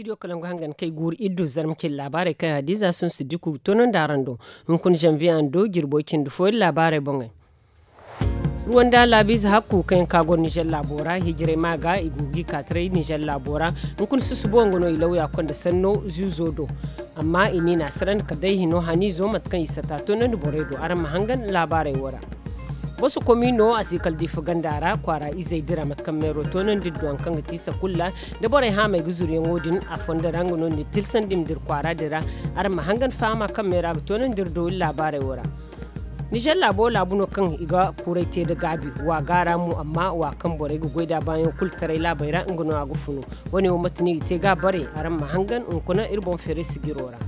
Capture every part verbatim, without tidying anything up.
Studio kalangu hangan kay guuru iddu zarma cindi laabaarey kaŋ hadiza sunsu diku ga toonandi araŋ do. Hunkuna zanviye a na do jirbo cindi fo iri laabaarey boŋey. Ruwanda laabiize hakku kaŋ yaŋ ka goro nizer laabo ra hijirey ma ga i go ga i ka taray nizer laabo ra. Hunkuna susubo nga no i lawya konda sanno zuuzo do. Amma i ni na a sarandi kala day hino haniizo mate kaŋ i sata toonandi borey do araŋ ma hangan laabaarey wo ra. Boso komiino a si kala diifa ganda ra kwaara izey dira mate kaŋ meero toonandi duwaŋ kaŋ ga ti sakulla da borey haamey ga zuriyaŋo din a fondo ra nga no ni tilsandi ma dira kwaara dira. Araŋ ma hangan fahama kaŋ meera ga toonandi iri do iri laabaarey wo ra. Nizer laabo laabu no kaŋ i ga kuuray te da gaabi wa gaara mo amma wa kaŋ borey ga goy da baayaŋ kulu taray laabey ra nga no a ga funu. Wane wo mate no i ga te ga bare araŋ ma hangan hunkuna iri boŋ feeray sigiro ra.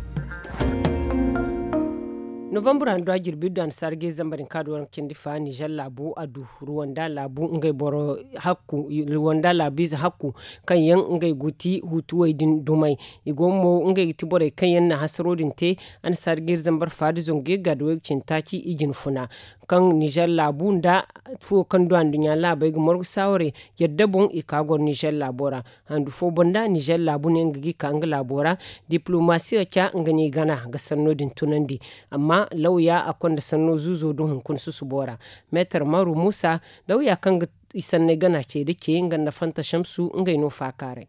Novambre handu a jirbi du annasaara ga zambar hinka du waranka cindi fa nizer laabu a du ruwanda laabu ngey boro hakku ruwanda laabiize hakku kaŋ yaŋ ngey go ti hutuwey din dumey. I go mo ngey ga ti borey kaŋ yaŋ na hasaro din te. Annasaara ga iri zambar fa da zangu ga iri ga da waygu cindi taaci i jina funa kaŋ nizer laabu nda fuwo kaŋ du anduɲɲa laabey ga margu saawarey yadda boŋ i ka goro nizer laabo ra. Handu fo banda nizer laabu ne nga ga i ka nga laabo ra. Diplomasiyo ca nga no i gana ga sanno din tunandi. Amma lawya a konda sanno zuuzo do hunkuna susubo ra. Meetar maru muusa lawya kaŋ ga i sanney gana ce da ce nga nda fanta shamsu ngey no faakaaray.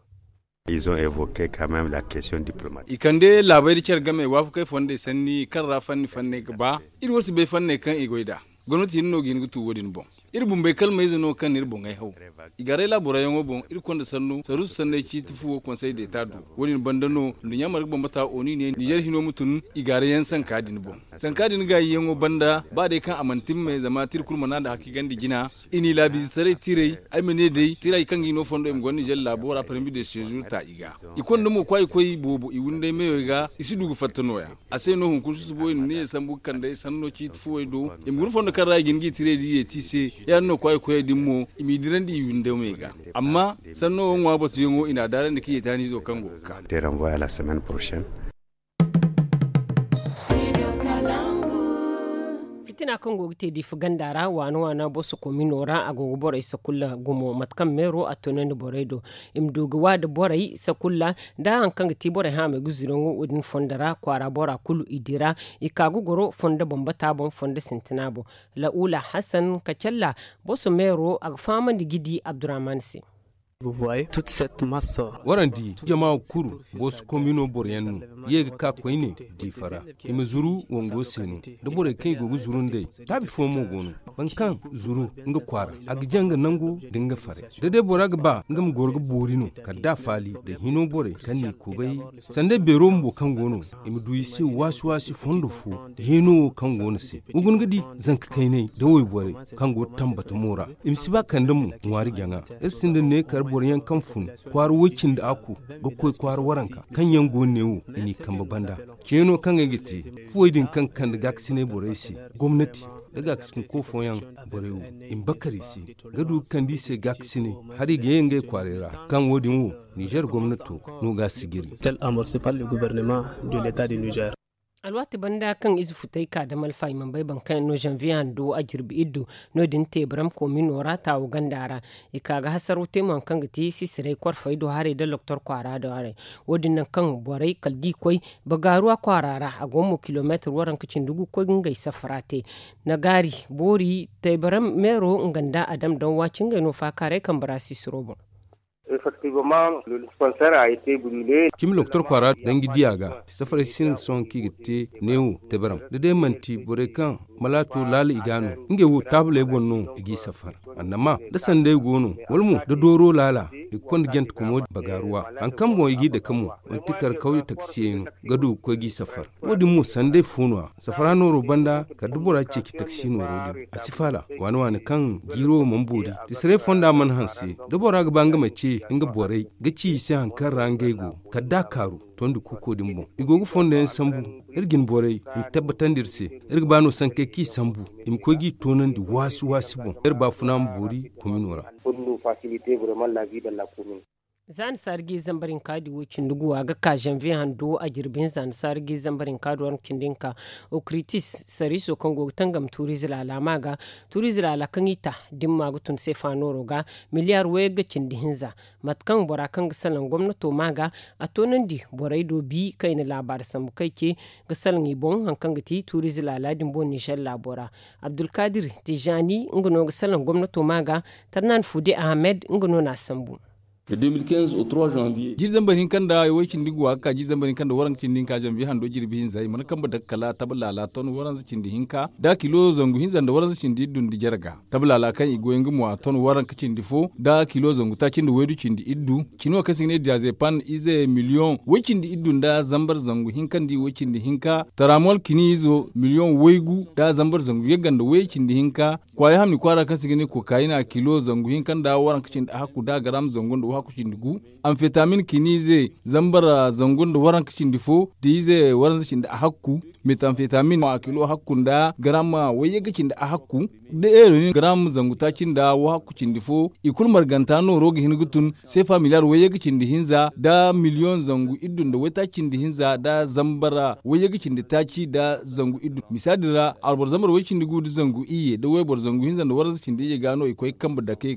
I kande laabey da care game waafakey fondey sanni kaŋ ra fanni fanney ga ba. Iri wo si bay fanney kaŋ i goy nd'a. Gomnati hinne no ga hin ga tu wo- din boŋ. Iri bumbey kalmayze no kaŋ na iri boŋey haw. I gaaray laaburayaŋo boŋ iri konda sannu saruusu sanney ciiti fuwo konsey deeta do. Wo- din banda no nduɲɲa marga bambata oni ne nizer hino ma tun i gaarayaŋ sanka din boŋ. Sanka din gaayiyaŋo banda ba day kaŋ a mana timme zama tira kulu mana nda hakigandi jina. I n'i laabiizetaray tiray ay ma ne day tiray kaŋ ga hino fondo i ma gonda nizer laabo ra parmi de seezur ta i ga. I konda mo kwaayikoy boobo i windey meyo ga i si du ga fatta nooya. A se no hunkuna susubo i na ne sambu ga kand'ey sanno ciiti fuwey do. I ma guna fondo kaŋ ra i ga hin ga i tiray da i yeeti i se. Ya- din no kwaayikoyey din mo i m'i dirandi i windey me ga. Amma sanno wo ŋwa batuyaŋo i n'a daarandi ka yeeti haniizo kaŋ go ga ka. Fitina kaŋ go ga te diifa ganda ra waana waana boso komino ra a go ga borey sakulla gumo mate kaŋ meero a tunandi borey do. I ma du ga wa da borey sakulla da hari kaŋ ga ti borey haamey ga zuraŋo wo- din fondo ra kwaara bora kulu i dira. I ka ga goro fondo bambata boŋ fondo sintina boŋ. La'ula hasan kacalla boso meero a ga fahamandi ga di abdurrahman se. Waraŋ di jama kuru boosu komino boroyaŋ no ye ga ka koyne diifa ra. I ma zuru wango se no da borey kaŋ i go ga zuru nd'ey. Taabi fo mo go no boro kaŋ zuru nga kwaara a ga jaŋ ga nangu nda nga faray da day bora ga ba nga ma goro ga boori no kala da a faali da hino borey kaŋ n'i kubay. Sanda ay beero bumbo kaŋ go no i ma du i se waasi waasi fondo fo. Hino wo kaŋ go no se wa guna ga di zanka kaynay da wayborey kaŋ go tambatamo ra. I ma si ba kande mo ŋwaari jaŋa. Iri sinda ne kar boroyaŋ kaŋ fun kwaara woy cindi aku ga koy kwaara waranka kaŋ yaŋ go ne wo i n'i kambe banda. Ceeno kaŋ ay ga te fuwey din kaŋ kande gaakasinay borey se gomnati nda gaakasinko fooyaŋ borey wo i ma bakar i se ga du ga kande i se gaakasinay. Hari ga ye ngey kwaaray ra kaŋ wo- din wo nizer gomnato no ga a sijiri. Tel amorse par le gouvernement de l'etat de nizer. Alwaati banda kaŋ ize futay ka da malfa i mana bay boro kaŋ yaŋ no zanviye hando a jirbi iddu. No- din teebaram komino ra taawo ganda ra i ka ga hasaro te mo hari kaŋ ga ti sisiray korfey do haray nda loktor kwaara do haray. Wo- din nangu kaŋ borey kala da i koy bagaaruwa kwaara ra a go mo kilomeetir waranka cindi gu ga koy ga ngey safara te. Nagaari boori teebaram meero nga nda adam daŋ waati ngey no faakaaray kambe ra sisiro boŋ. Cimi loktor kwaara danji diya ga ti safaray sinda sohõ kaŋ i ga te neewo teberam da day manti borey kaŋ malaato laala i ga no. Ngey wo taabaley boŋ no i g'i safar. Annama da sanday go no wala mo da dooro laala i ga konda jante komo bagaaruwa. Hari kaŋ boŋ i g'i dake mo manti kar kawye taksiyey no ga du ga koy g'i safar. Wo- din mo sanday fo no- ya safara nooro banda kala da bora ceeci taksi nooro din a si faala. Waane waane kaŋ jiiro wo mana boori tisaray fonda mana hanse da bora ga ba nga ma ce nga borey ga ci i se hari kaŋ ra ngey go kala da a kaaru tondi kuuko din boŋ. I go ga fondo yaŋ sambu iri jine borey i ma tabbatandi iri se. Iri ga ba no sankey kaŋ i sambu i ma koy g'i toonandi waasi waasi boŋ iri baafuna ma boori komino ra. Za ni saari ga i zambar hinka di wo cindi guwa ga ka zanviye hando a jirbi hinza ni saari ga i zambar hinka di waranka cindi hinka. Okritis sariiso kaŋ go ga tangam tuuriize laala ma ga tuuriize laala kaŋ i ta da ni ma ga tun seefa nooro ga miliyaar wayagga cindi hinza. Mate kaŋ bora kaŋ ga salaŋ gomnato ma ga a toonandi borey do bi kaŋ i na laabaari sambu kaŋ i ce ga salaŋ i boŋ hari kaŋ ga ti tuuriize laala din boŋ ninzeer laabo ra. Abdulkaadir tijaani nga no ga salaŋ gomnato ma ga. Tarnan fude ahamed nga no na a sambu. Jiri zambar hinka nda way cindi guwa ga ka jiri zambar hinka nda waranka cindi hinka zanviye hando jirbi hinza i mana kambe dake kala taba laala ton waranza cindi hinka da kilo zangu hinza nda waranza cindi iddu nda jarga. Taba laala kaŋ i goy nga mo a ton waranka cindi fo da kilo zangu taaci nda waydu cindi iddu. Cino kaŋ se i ga ne diyazepan ize miliyoŋ way cindi iddu nda zambar zangu hinka nda i way cindi hinka taramol kini izo miliyoŋ waygu da zambar zangu yagga nda way cindi hinka. Kwaaya hamni kwaara kaŋ se i ga ne kokaayina kilo zangu hinka nda waranka cindi ahakku da garam zangu nda wahakku cindi gu. Amfetamin kiniize zambara zangu nda waranka cindi fo da ize waranza cindi ahakku. Metamfetamin a kilo hakku nda garam wayye ga cindi ahakku. Da heroyin garam zangu taaci nda wahakku cindi fo i kulu marganta nooro ga hin ga tun seefa miliyaar wayye ga cindi hinza da miliyoŋ zangu iddu nda waytaaci cindi hinza da zambara wayye ga cindi taaci da zangu iddu. Misaadi ra alboro zambar way cindi gu nda zangu iyye da wayboro zangu hinza nda waranza cindi iyye ga no i koy ga kambe dake.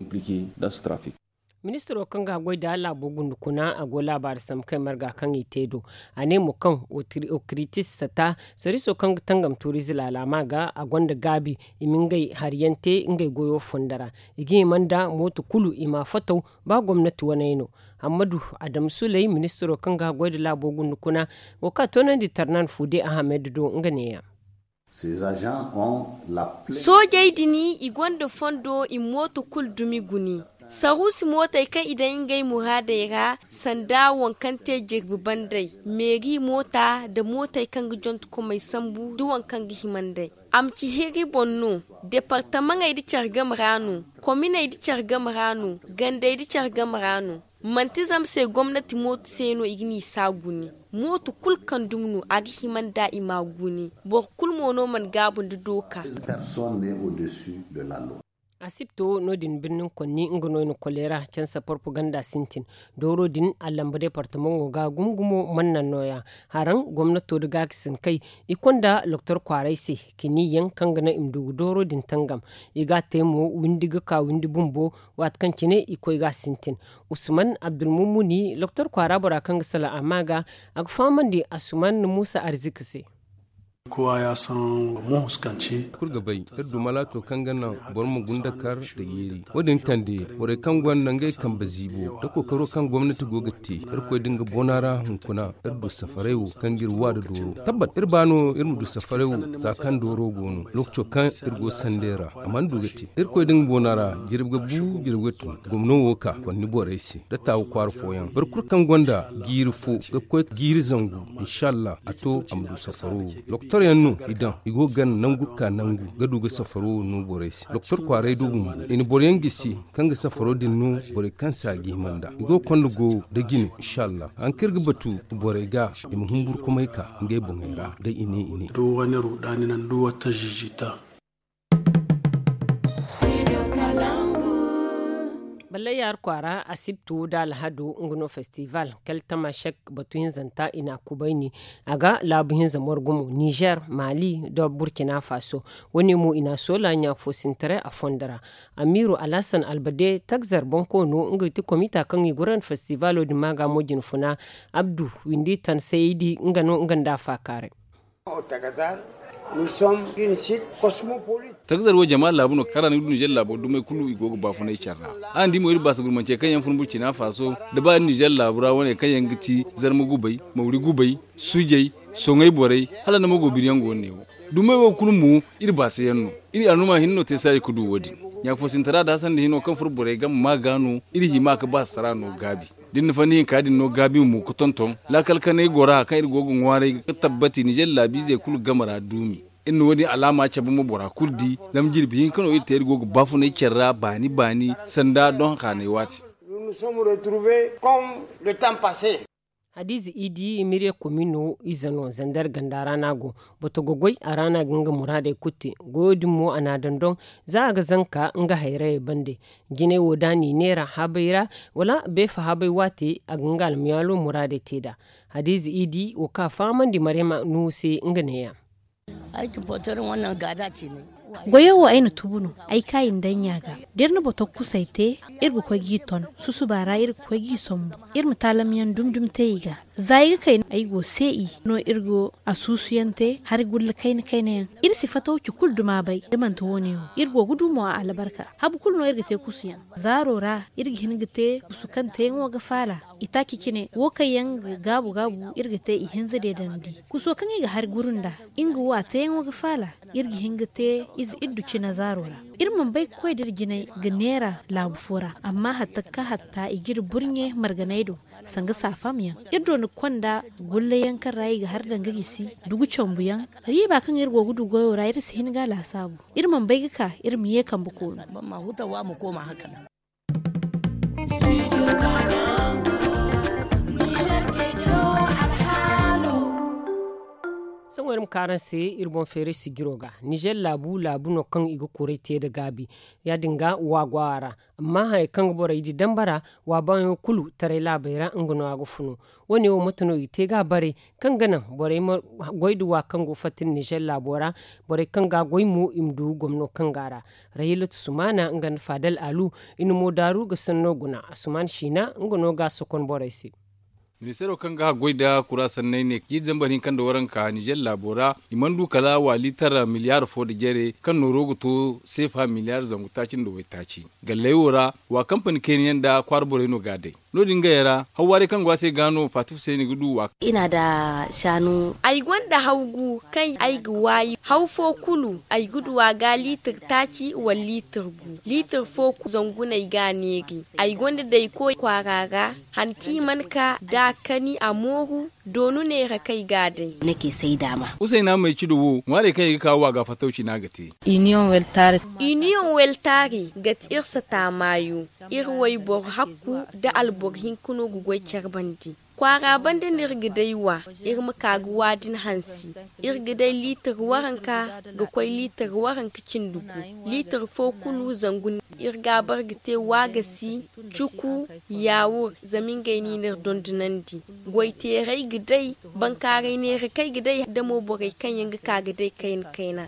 Ministiro kaŋ ga goy nda laabo gundukuna a go laabaari sambu kaŋ ay marga kaŋ i te do. A ne mo kaŋ okritis sata sariiso kaŋ ga tangam tuuriize laala ma ga a gonda gaabi i ma ngey hari yaŋ te ngey goyo fonda ra. I ga hima nda mooto kulu i ma a fataw ba gomnati waney no. Hammadu adamu suley ministiro kaŋ ga goy nda laabo gundukuna wo kaŋ a toonandi tarnan fude ahamed do nga neeya. Soojey din i gonda fondo i ma mooto kulu dumi guni. Saruusi mootey kaŋ i daŋ ngey muraadey ra sanda waŋ kaŋ te jirbi bandey meeri moota nda mootey kaŋ ga jontokomey sambu nda waŋ kaŋ ga hima nd'ey. A ma ci hiri boŋ no. Departamaŋey nda care game ra no. Kominey nda care game ra no. Gandey nda care game ra no. Manti zama se gomnati mooto se no i ga n'i saa guni. Mooto kulu kaŋ dumi no a ga hima nd'a i m'a guni. Boro kulu mo no mana gaabu nda dooka. Asibto no- din birnin konni nga no i na koleera cansa porpoganda sintin. Dooro din a lamba departamaŋo ga gumo gumo mana naŋ nooya. Haraŋ gomnato nda gaakasin kay i konda loktor kwaaray se. Kiniyaŋ kaŋ ga naŋ i ma du ga dooro din tangam. I ga a te mo windi ga ka windi bumbo. Waati kaŋ cine i koy ga a sintin. Usman abdulmumuni loktor kwaara bora kaŋ ga salaŋ a ma ga a ga fahamandi asuman muusa arziki se. Kulu ga bay iri du malaato kaŋ ga naŋ boro ma gunda kar nda yeeri. Wo- din kande borey kaŋ gonda ngey kambe ziibo nda kookaro kaŋ gomnati go ga te irkoy da nga bona ra hunkuna. Iri du safaray wo kaŋ ga iri wa nda dooro tabbat iri ba no iri ma du safaray wo. Za kaŋ dooro go no lookaco kaŋ iri go sandey ra a mana du ga te. Irkoy da nga boona ra jirbi ga bu jirbi ga tun gomno wo ka konni borey se da taawu kwaara fooyaŋ boro kulu kaŋ gonda jiiri fo ga koy jiiri zangu. Inshallah a to a ma du safaro wo. Doktor yaŋ no i daŋ i go ga gana nangu ga ka nangu ga du ga safaro wo no borey se doktor kwaaray do bumbo i na boro yaŋ gisi kaŋ ga safaro din no borey kaŋ se a ga hima nd'a i go ga konda go da jine. Inshallah hari kaŋ iri ga batu borey ga i ma humburkumay ka ngey boŋey ra da i ne i ne. Ballay yaari kwaara asibtu nda alhado nga no festival kala tamashek batu hinzanta i n'a kubayni. A ga laabu hinza morgu mo nizer mali nda burkina faso. Wo- ne mo i n'a soola ɲaafoosintaray a fondo ra. Amiiru alhasan albade tagzar bonkoono nga ga ti komita kaŋ i gurandi festivalo din maaga mo jinfuna. Abdu windi tansayey di nga no nga nda a faakaaray. Tagazar wo jama laabu no kaŋ ra ni ga du nizer laabo dumey kulu i go ga baafunay care ra. Araŋ di mo iri baasa gurmancey kaŋ yaŋ fun burkina faso da ba iri nizer laabu ra wane kaŋ yaŋ ga ti zarma gubay mawri gubay sujay soŋay borey hala ni ma go biri yaŋ go no ne wo. Dumey wo kulu mo iri baasa yaŋ no. Iri aluma hinne no te saayi ga du wo- din. Ɲaafosintara da hasandi hino kaŋ furo borey game ma ga no iri hima ga baasasara no gaabi. Da iri na fanni hinka din no gaabi mo ga tonton laakal kanay gora kaŋ iri go ga ŋwaaray ga tabbati nizer laabiizey kulu game ra duumi. Iri na wo- din alaama cabe mo bora kulu di zama jirbi hinka no iri te iri go ga baafunay care ra baani baani sanda doŋ haanay waati. Hadiize idi miriya komi no ize no zandar ganda ra no a go. Bato ga goy a ra no a ga nga muraadey kulu te. Goyo din mo a n'a dondon za a ga zanka nga hayrayey bande. Jinay wo da a n'i neera habay ra wala beefa habay waate a ga nga almiyaalo muraadey te nd'a. Hadiize idi wo kaŋ a fahamandi maryama nuhu se nga neeya. Goyo wo ay na tubu no. Ay kaayi nda ay ɲa ga da iri na boto kusay te, iri ga koy g'i ton. Susuba ra iri ga koy g'i sombu. Iri ma taalamyaŋ dumi dumi te i ga. Za ay ga kay ay go se i no iri go a suusuyaŋ te hari gulla kayna kayna yaŋ. Iri si fataw ci kulu duma bay da manti wo- ne wo iri go ga du mo a albarka. Habu kulu no iri ga te kusuyaŋ zaaro ra. Iri ga hin ga te kusu kaŋ teeyaŋo ga faala. Itaaci cine wo kaŋ yaŋ ga gaabu gaabu iri ga te ihinza deedandi. Kuso kaŋ i ga hari guru nd'a, nga wo a teeyaŋo ga faala. Iri ga hin ga te ize iddu cine zaaro ra. Iri mana bay ga koy da iri jinay ga neera laabu fo ra. Amma hatta ga ka hatta i ga iri burɲe marganay do. Sanga saafam yaŋ iri do ni ga konda gullayaŋ kaŋ ra i ga hari daŋ ga gisi dugu cambu yaŋ. Riiba kaŋ iri go ga du goyo ra iri si hin ga a laasaabu. Iri mana bay ga ka iri ma ye kambe koonu. Sohõ iri ma ka araŋ se iri boŋ feeray sijiro ga. Nizer laabu laabu no kaŋ i ga kuray te nda gaabi. Ya- din ga wa go a ra. Amma hayey kaŋ ga borey di dambara wa baayaŋo kulu taray laabey ra nga no a ga funu. Wo- ne wo mate no i te ga a bare kaŋ ga naŋ borey ma goy nda wa kaŋ go fatta nda nizer laabo ra. Borey kaŋ ga a goy mo i ma du gomno kaŋ go a ra. Rahilatu sumaana nga nda faadal alu i na mo daaru ga sanno guna. Asumaan siina nga no ga a sokon borey se. Ministeero kaŋ ga haggoy nda kura sanney ne jiiri zambar hinka nda waranka nizer laabo ra. I mana du kala wa liitar miliyaar fo nda jare kaŋ nooro ga to seefa miliyaar zangu taaci nda waytaaci. Galley wo ra wa kampani kayna yaŋ nda kwaara borey no ga a day. No- din gayey ra hawwaaray kaŋ go a se ga no faati fusayni ga du wa. Ay gonda haw gu kaŋ ay ga waayi haw fo kulu ay ga du a ga liitir taaci wala liitir gu. Liitir fo kulu zangu no ay ga a neeri. Ay gonda day koy kwaara ra han kaŋ i mana ka da a kani a mooru. Doonu neera kaŋ ay ga a day. Usayna may cido wo ŋwaarey kaŋ i ga ka wa ga fattawci no a ga te. Iniyoŋ weltaari ga ti iri sata maayo. Iri wayboro hakku nda alboro hinka no ga goy care bande. Kwaara bande no iri ga day wa. Iri ma ka ga wa din hansi. Iri ga day liitir waranka ga koy liitir waranka cindi gu. Liitir fo kulu zangu no iri ga a bare ga te waagasi, cuku, yaawur. Zama ngey no i n'iri dondonandi. Goyteerey ga day. Bankaaray neera kaŋ ay ga day da mo borey kaŋ yaŋ ga ka ga day kayna kayna.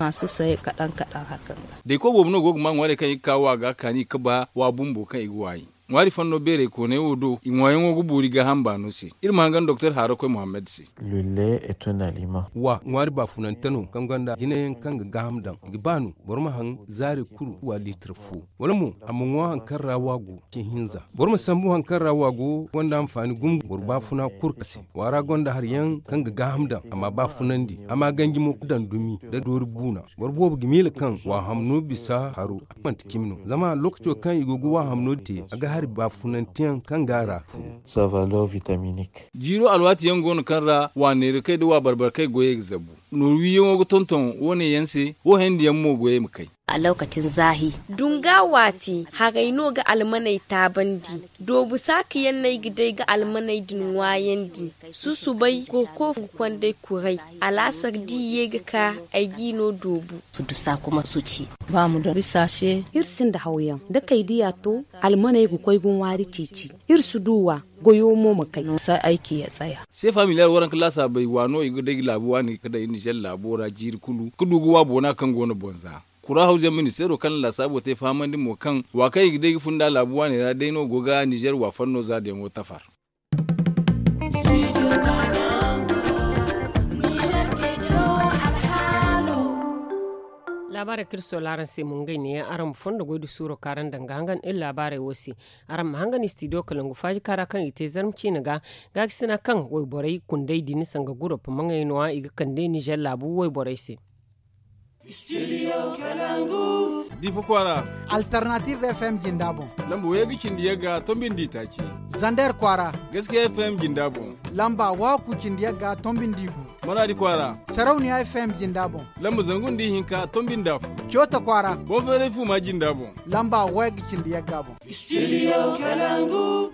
Day koy boobo no go ga maa ŋwaarey kaŋ i ga ka wa ga kaani ga ba wa bumbo kaŋ i ga waayi. Ŋwaari fanno beerey kooney wo do i ŋwaayaŋo ga boori gaaham baano se. Iri ma hangan doktor haarakoy muhammad se. Wa ŋwaari baafunante no kaŋ gonda jinayaŋ kaŋ ga gaaham daŋ i ga ba no boro ma haŋ zaari kulu wa liitir fo. Wala mo a ma ŋwa hari kaŋ ra wa go cin hinza. Boro ma sambu hari kaŋ ra wa go gonda hanfaani gumo boro baafuna kulu ka se. Waara gonda hari yaŋ kaŋ ga gaaham daŋ a ma baafunandi a ma ganji mo ga daŋ dumi nda doori buuna. Boro boobo ga miila kaŋ wa hamno bisa haro. Manti cimi no zama lookaco kaŋ i go ga wa hamno te a ga hari baafunanteyaŋ kaŋ ga a ra. Jiiro alwaati yaŋ go no kaŋ ra wa neerakey nda wa barbarkey goyey ga zabu. Nooru wiiyaŋo ga tonton wo- ne yaŋ se wo hayandi yaŋ mo goyey ma kay. Dunga waati haray no ga almaney taabandi. Doobu saaka yaŋ no ay ga day ga almaney din ŋwaayandi. Susubay kurko ga konda ay kuray. Alaasar da i ye ga ka ay g'i no doobu. Iri sinda hawyaŋ da kay diya to. Almaney ga koy ga ŋwaari ceeci. Iri si du wa goyo mo ma kay. Seefa miliyar waranka laasaabey wa no i ga day ga laabu waani ga day nizer laabo ra jiiri kulu ga du ga wa boona kaŋ go no boŋ za. Kura hawzu yaŋ ministeero kaŋ na laasaabo te fahamandi mo kaŋ wa kaŋ i ga day ga fun nd'a laabu waaney ra day no go ga nizer wa fanno zaadiyaŋo tafar. Laabaarey kaŋ iri soola araŋ se mo ngey neeyaŋ araŋ ma fondo goy nda suuro kaŋ araŋ daŋ ga hangan iri laabaarey wo se. Araŋ ma hangan istidiyo kalangu faaji kaara kaŋ i te zarma ciine ga gaakasina kaŋ wayborey kundey din sanga gurop maŋey no- ya i ga kande nizer laabu wayborey se. Difa kwaara. Alternative fm jinda boŋ. Lamba wayga cindi yagga tombi nda itaaci. Zander kwaara. Gaskiya fm jinda boŋ. Lamba waaku cindi yagga tombi nda igu. Maraadi kwaara. Sarauniya fm jinda boŋ. Lamba zangu nda ihinka tombi nda afo. Coota kwaara. Boŋ feeray fuuma jinda boŋ. Lamba wayga cindi yagga boŋ. Studio kalangu.